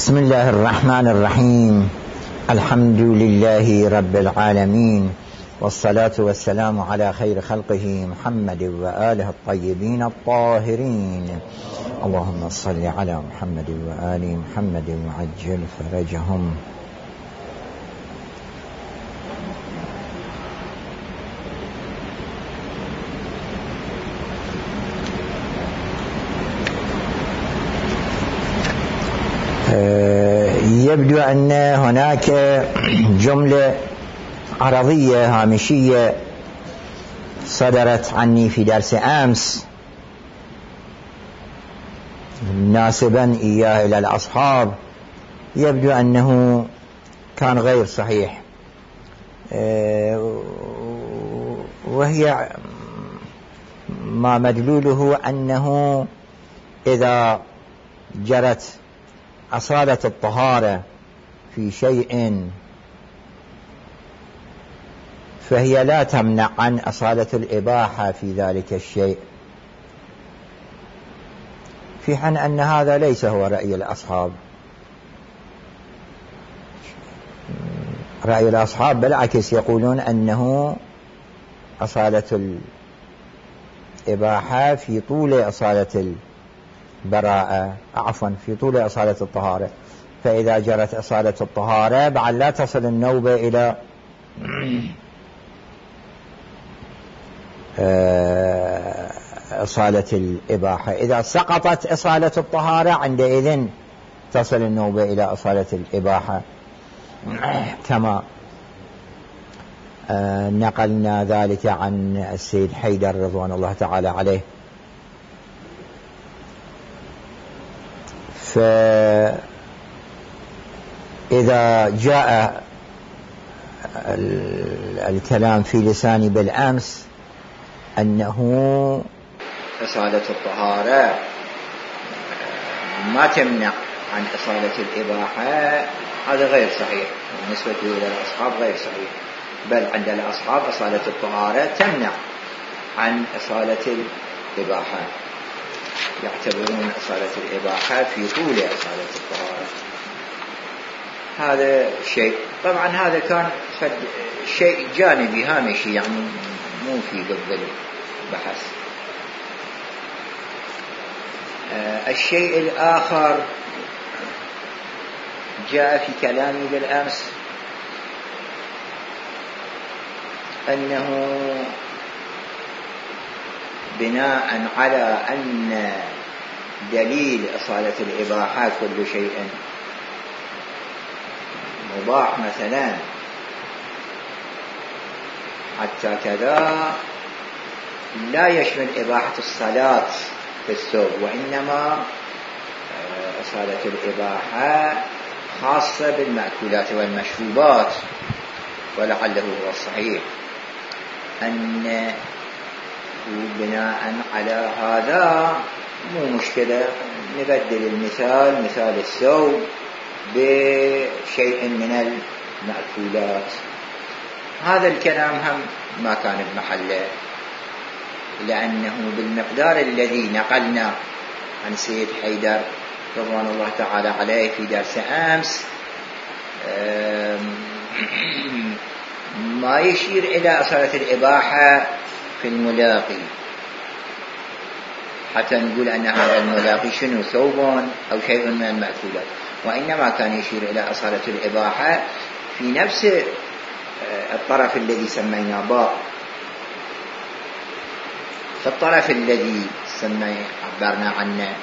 بسم الله الرحمن الرحيم. الحمد لله رب العالمين، والصلاة والسلام على خير خلقه محمد وآله الطيبين الطاهرين. اللهم صل على محمد وآل محمد وعجل فرجهم. يبدو أن هناك جملة عرضية هامشية صدرت عني في درس أمس ناسبا إياه إلى الأصحاب، يبدو أنه كان غير صحيح، وهي ما مدلوله أنه إذا جرت أصالة الطهارة في شيء فهي لا تمنع عن أصالة الإباحة في ذلك الشيء، في حين أن هذا ليس هو رأي الأصحاب. رأي الأصحاب بالعكس، يقولون أنه أصالة الإباحة في طول أصالة البراءة، في طول أصالة الطهارة، فإذا جرت أصالة الطهارة بعد لا تصل النوبة إلى أصالة الإباحة. إذا سقطت أصالة الطهارة عندئذ تصل النوبة إلى أصالة الإباحة، كما نقلنا ذلك عن السيد حيدر رضوان الله تعالى عليه. فإذا جاء الكلام في لساني بالأمس أنه أصالة الطهارة ما تمنع عن أصالة الإباحة، هذا غير صحيح بالنسبة إلى الأصحاب، غير صحيح، بل عند الأصحاب أصالة الطهارة تمنع عن أصالة الإباحة، يعتبرون أصالة الإباحة في طول أصالة الطهارة. هذا شيء، طبعا هذا كان شيء جانبي هامشي، يعني مو في قبل البحث. الشيء الآخر جاء في كلامي بالأمس أنه بناء على أن دليل أصالة الإباحة كل شيء مباح مثلا، حتى كذا لا يشمل إباحة الصلاة في الثوب، وإنما أصالة الإباحة خاصة بالمأكولات والمشروبات. ولعله هو الصحيح أن بناء على هذا مو مشكلة نبدل المثال، مثال الثوب، بشيء من المأكولات. هذا الكلام هم ما كان بمحله، لأنه بالمقدار الذي نقلنا عن سيد حيدر رضوان الله تعالى عليه في درس أمس ما يشير إلى أصالة الإباحة في الملاقي، حتى نقول أن هذا الملاقي شنو، ثوب أو شيء من المأكولات، وإنما كان يشير إلى أصالة الإباحة في نفس الطرف الذي سمينا باء. فالطرف الذي عبرنا عنه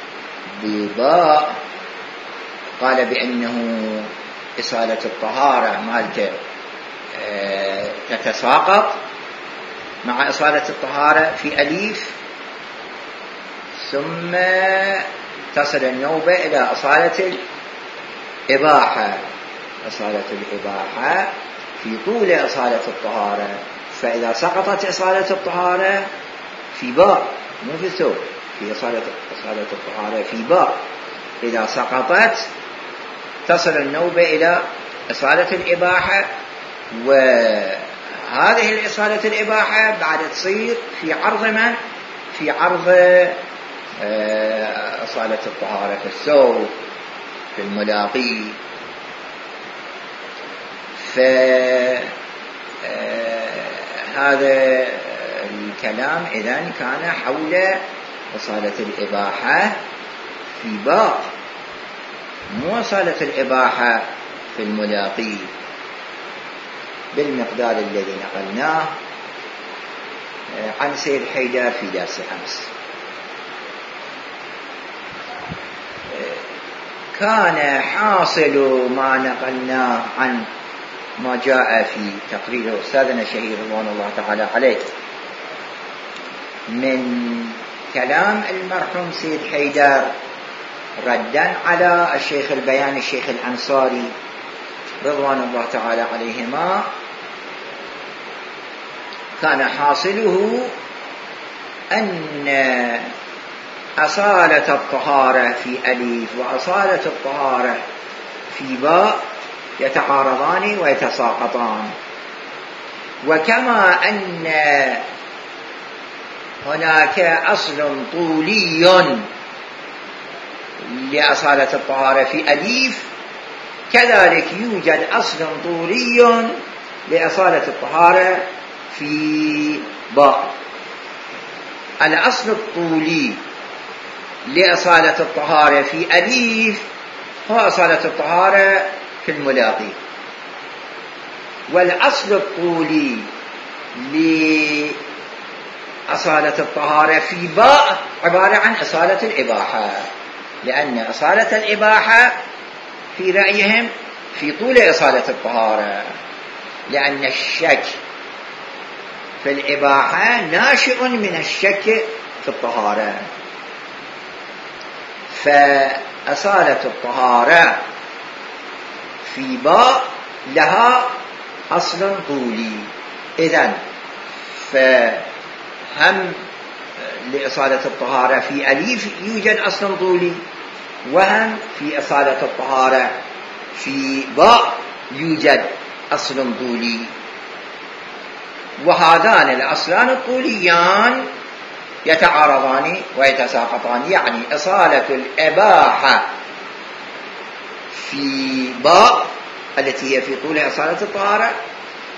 بباء قال بأنه إصالة الطهارة مالته تتساقط مع إصالة الطهارة في أليف، ثم تصل النوبة إلى أصالة الإباحة. أصالة الإباحة في طول أصالة الطهارة، فإذا سقطت أصالة الطهارة في باء، مو في ثوب، في أصالة الطهارة في باء، إذا سقطت تصل النوبة إلى أصالة الإباحة، وهذه الإصالة الإباحة بعد تصير في عرض من؟ في عرض أصالة الطهارة في الثوب. في الملاقي. فهذا الكلام إذن كان حول أصالة الإباحة في باء، مو أصالة الإباحة في الملاقي بالمقدار الذي نقلناه عن سيد حيدر في درس أمس. كان حاصل ما نقلناه عن ما جاء في تقرير أستاذنا الشهير رضوان الله تعالى عليه من كلام المرحوم سيد حيدر ردا على الشيخ البيان الشيخ الأنصاري رضوان الله تعالى عليهما، كان حاصله أن أصالة الطهارة في أليف وأصالة الطهارة في باء يتعارضان ويتساقطان، وكما أن هناك أصل طولي لأصالة الطهارة في أليف، كذلك يوجد أصل طولي لأصالة الطهارة في باء. الأصل الطولي لأصالة الطهارة في أليف هو أصالة الطهارة في الملاقي، والأصل الطولي لأصالة الطهارة في باء عبارة عن أصالة الإباحة، لأن أصالة الإباحة في رأيهم في طول أصالة الطهارة، لأن الشك في الإباحة ناشئ من الشك في الطهارة، فأصالة الطهارة في باء لها أصل طولي. إذن فهم لأصالة الطهارة في أليف يوجد أصل طولي، وهم في أصالة الطهارة في باء يوجد أصل طولي، وهذان الأصلان الطوليان يتعارضان ويتساقطان، يعني أصالة الإباحة في باء التي هي في طول أصالة الطهارة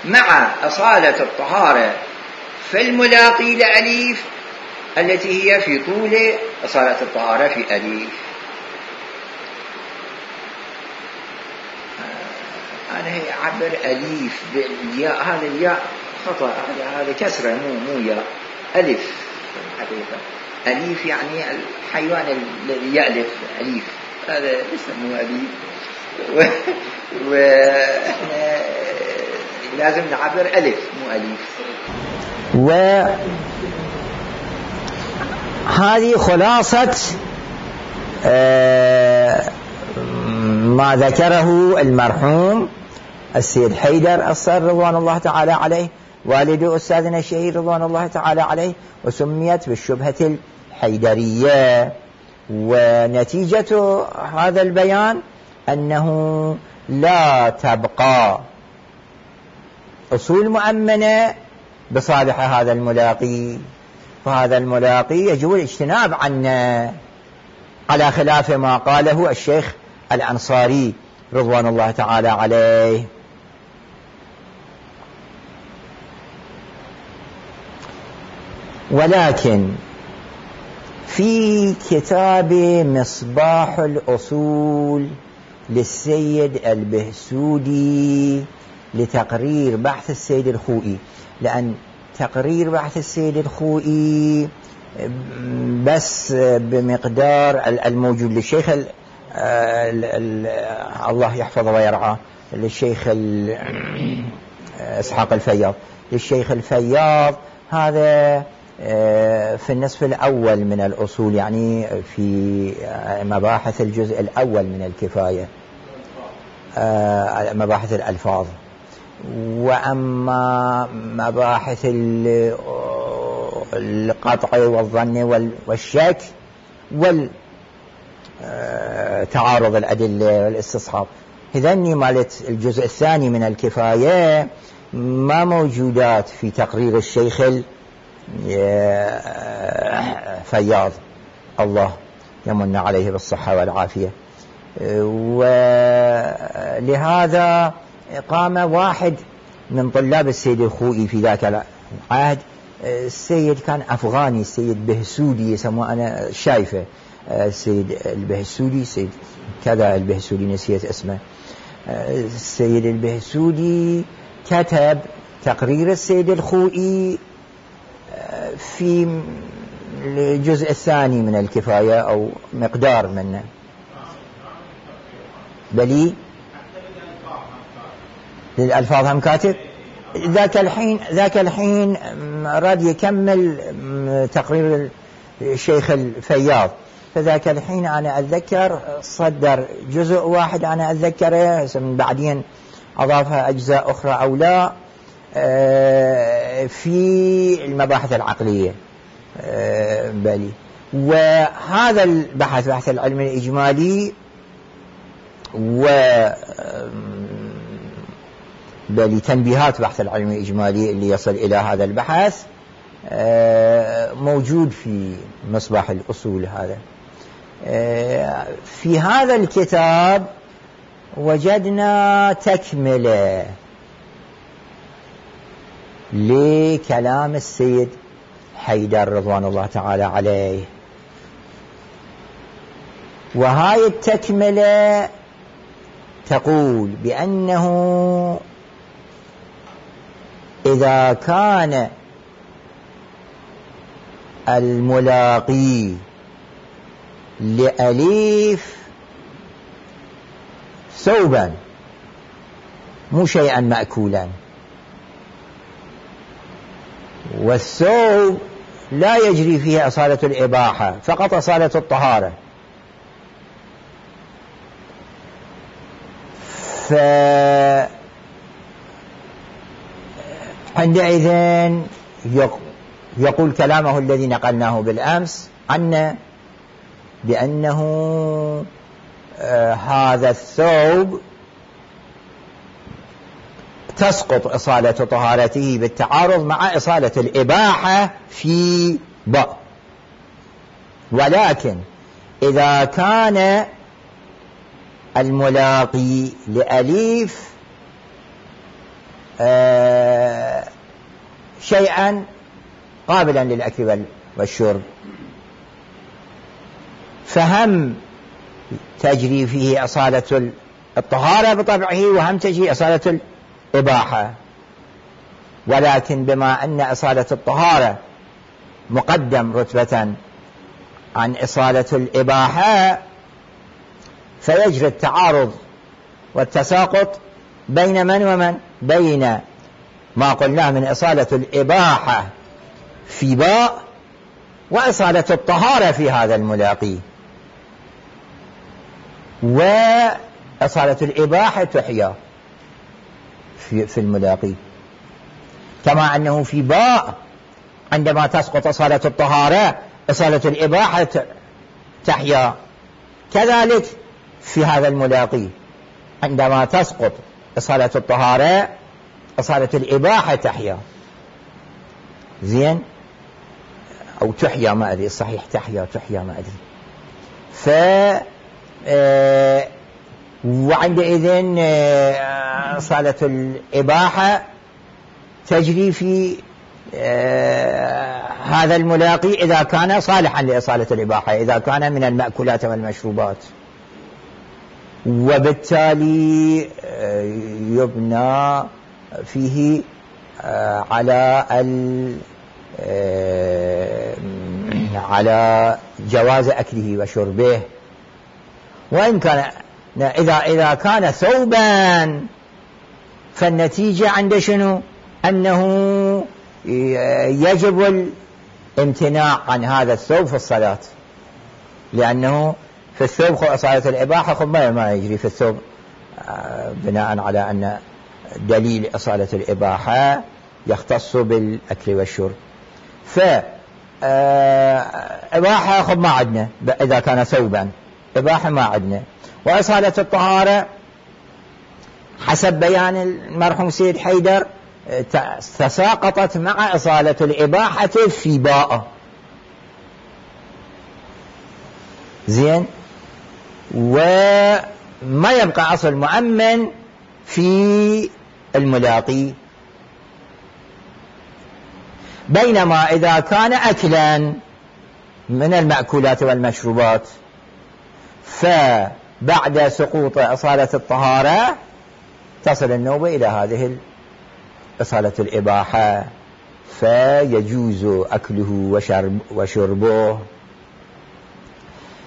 مع أصالة الطهارة في الملاقي لأليف التي هي في طول أصالة الطهارة في أليف. أنا هي عبر أليف بالياء، هذا الياء خطأ، هذا كسرة مو ياء، ألف حقيقة. أليف يعني الحيوان الذي يألف، أليف هذا اسمه أليف، وإحنا لازم نعبر ألف مو أليف. وهذه خلاصة ما ذكره المرحوم السيد حيدر الصر رضوان الله تعالى عليه، والد أستاذنا الشهير رضوان الله تعالى عليه، وسميت بالشبهة الحيدرية. ونتيجة هذا البيان أنه لا تبقى أصول مؤمنة بصالح هذا الملاقي، فهذا الملاقي يجب الاجتناب عنه، على خلاف ما قاله الشيخ الأنصاري رضوان الله تعالى عليه. ولكن في كتاب مصباح الأصول للسيد البهسودي لتقرير بحث السيد الخوئي، لأن تقرير بحث السيد الخوئي بس بمقدار الموجود للشيخ الله يحفظه ويرعاه، للشيخ إسحاق الفياض، للشيخ الفياض، هذا في النصف الأول من الأصول، يعني في مباحث الجزء الأول من الكفاية، مباحث الألفاظ. وأما مباحث القطع والظن والشك والتعارض الأدلة والاستصحاب، هذني مالت الجزء الثاني من الكفاية ما موجودات في تقرير الشيخ الفياض، الله يمن عليه بالصحة والعافية. ولهذا قام واحد من طلاب السيد الخوئي في ذاك العهد. السيد كان أفغاني، السيد بهسودي يسموه، أنا شايفه السيد البهسودي، سيد كذا البهسودي نسيت اسمه. السيد البهسودي كتب تقرير السيد الخوئي في الجزء الثاني من الكفاية أو مقدار منه. بلي للألفاظ هم كاتب. ذاك الحين راد يكمل تقرير الشيخ الفياض، فذاك الحين أنا أتذكر صدر جزء واحد أنا أتذكره، بعدين أضافها أجزاء أخرى أو لا، في المباحث العقلية. بلي وهذا البحث، بحث العلم الإجمالي، بل تنبيهات بحث العلم الإجمالي اللي يصل إلى هذا البحث موجود في مصباح الأصول. هذا في هذا الكتاب وجدنا تكملة لكلام السيد حيدر رضوان الله تعالى عليه، وهاي التكملة تقول بأنه إذا كان الملاقي لأليف ثوبا مو شيئا مأكولا، والثوب لا يجري فيه أصالة الإباحة، فقط أصالة الطهارة، فعندئذ يقول كلامه الذي نقلناه بالأمس عنا بأنه هذا الثوب تسقط إصالة طهارته بالتعارض مع إصالة الإباحة في باء. ولكن إذا كان الملاقي لأليف شيئا قابلا للأكل والشرب، فهم تجري فيه أصالة الطهارة بطبعه، وهم تجري أصالة الإباحة. ولكن بما أن أصالة الطهارة مقدم رتبة عن إصالة الإباحة، فيجري التعارض والتساقط بين من ومن؟ بين ما قلناه من إصالة الإباحة في باء وإصالة الطهارة في هذا الملاقي. وإصالة الإباحة تحيا في الملاقي، كما أنه في باء عندما تسقط إصالة الطهارة إصالة الإباحة تحيا، كذلك في هذا الملاقي عندما تسقط إصالة الطهارة إصالة الإباحة تحيا. زين، أو تحيا، ما أدري الصحيح، تحيا ما أدري. وعندئذ إصالة الإباحة تجري في هذا الملاقي إذا كان صالحا لإصالة الإباحة، إذا كان من المأكولات والمشروبات، وبالتالي يبنى فيه على جواز أكله وشربه. وإن كان إذا كان ثوبا فالنتيجة عند شنو؟ أنه يجب الامتناع عن هذا الثوب في الصلاة، لأنه في الثوب إصالة الإباحة ما يجري في الثوب، بناء على أن دليل إصالة الإباحة يختص بالأكل والشرب. إباحة ما عندنا إذا كان ثوبا، إباحة ما عندنا. وإصالة الطهارة حسب بيان المرحوم سيد حيدر تساقطت مع إصالة الإباحة في باء. زين، وما يبقى أصل مؤمن في الملاقي. بينما إذا كان أكلا من المأكولات والمشروبات فبعد سقوط أصالة الطهارة تصل النوبة إلى هذه أصالة الإباحة، فيجوز أكله وشربه.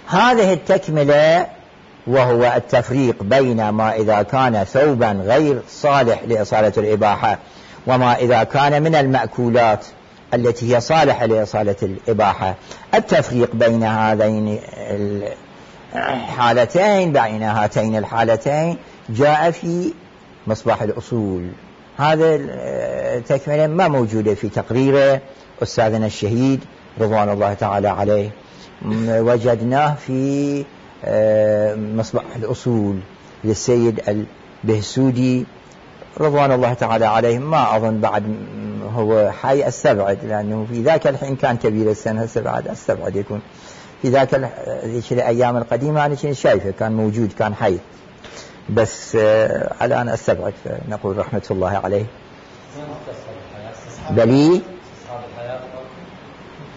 هذه التكملة وهو التفريق بين ما إذا كان ثوبا غير صالح لإصالة الإباحة وما إذا كان من المأكولات التي هي صالحة لإصالة الإباحة. التفريق بين هذين الحالتين بين هاتين الحالتين جاء في مصباح الأصول. هذا التكملة ما موجودة في تقرير أستاذنا الشهيد رضوان الله تعالى عليه، وجدناه في مصباح الأصول للسيد البهسودي رضوان الله تعالى عليه. ما أظن بعد هو حي، استبعد، لأنه في ذاك الحين كان كبير السنة، استبعد يكون في ذاك الأيام القديمة أنا كنت شايفه كان موجود كان حي، بس الآن استبعد، فنقول رحمة الله عليه. بلي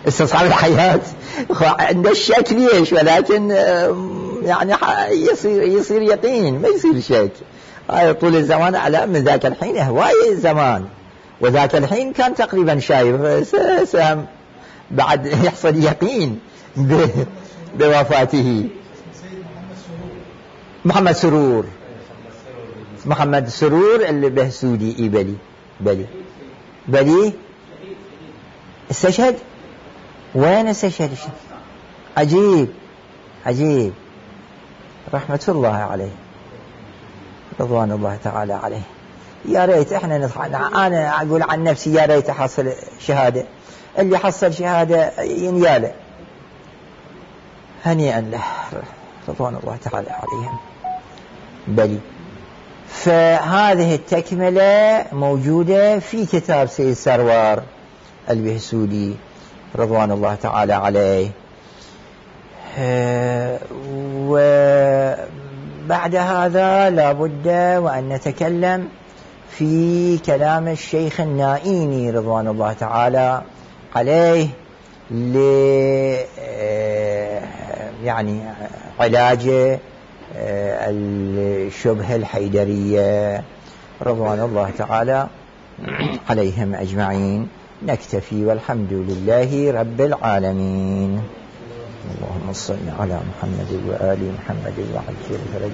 استصحاب الحياة عند الشك ليش، ولكن يعني يصير يقين، ما يصير شك. طول الزمان على من ذاك الحين هواية الزمان، وذاك الحين كان تقريبا شايف سام بعد يحصل يقين بوفاته. محمد سرور البهسودي. بلي استشهد. وين استشهد؟ عجيب رحمة الله عليه رضوان الله تعالى عليه. يا ريت احنا انا اقول عن نفسي يا ريت احصل شهادة. اللي حصل شهادة ينياله هنيئا له رضوان الله تعالى عليهم. بلي فهذه التكملة موجودة في كتاب سيد سروار البهسودي رضوان الله تعالى عليه. وبعد هذا لا بد وأن نتكلم في كلام الشيخ النائيني رضوان الله تعالى عليه يعني علاج الشبهة الحيدرية رضوان الله تعالى عليهم أجمعين. نكتفي والحمد لله رب العالمين. اللهم صل على محمد وآل محمد وعجل فرج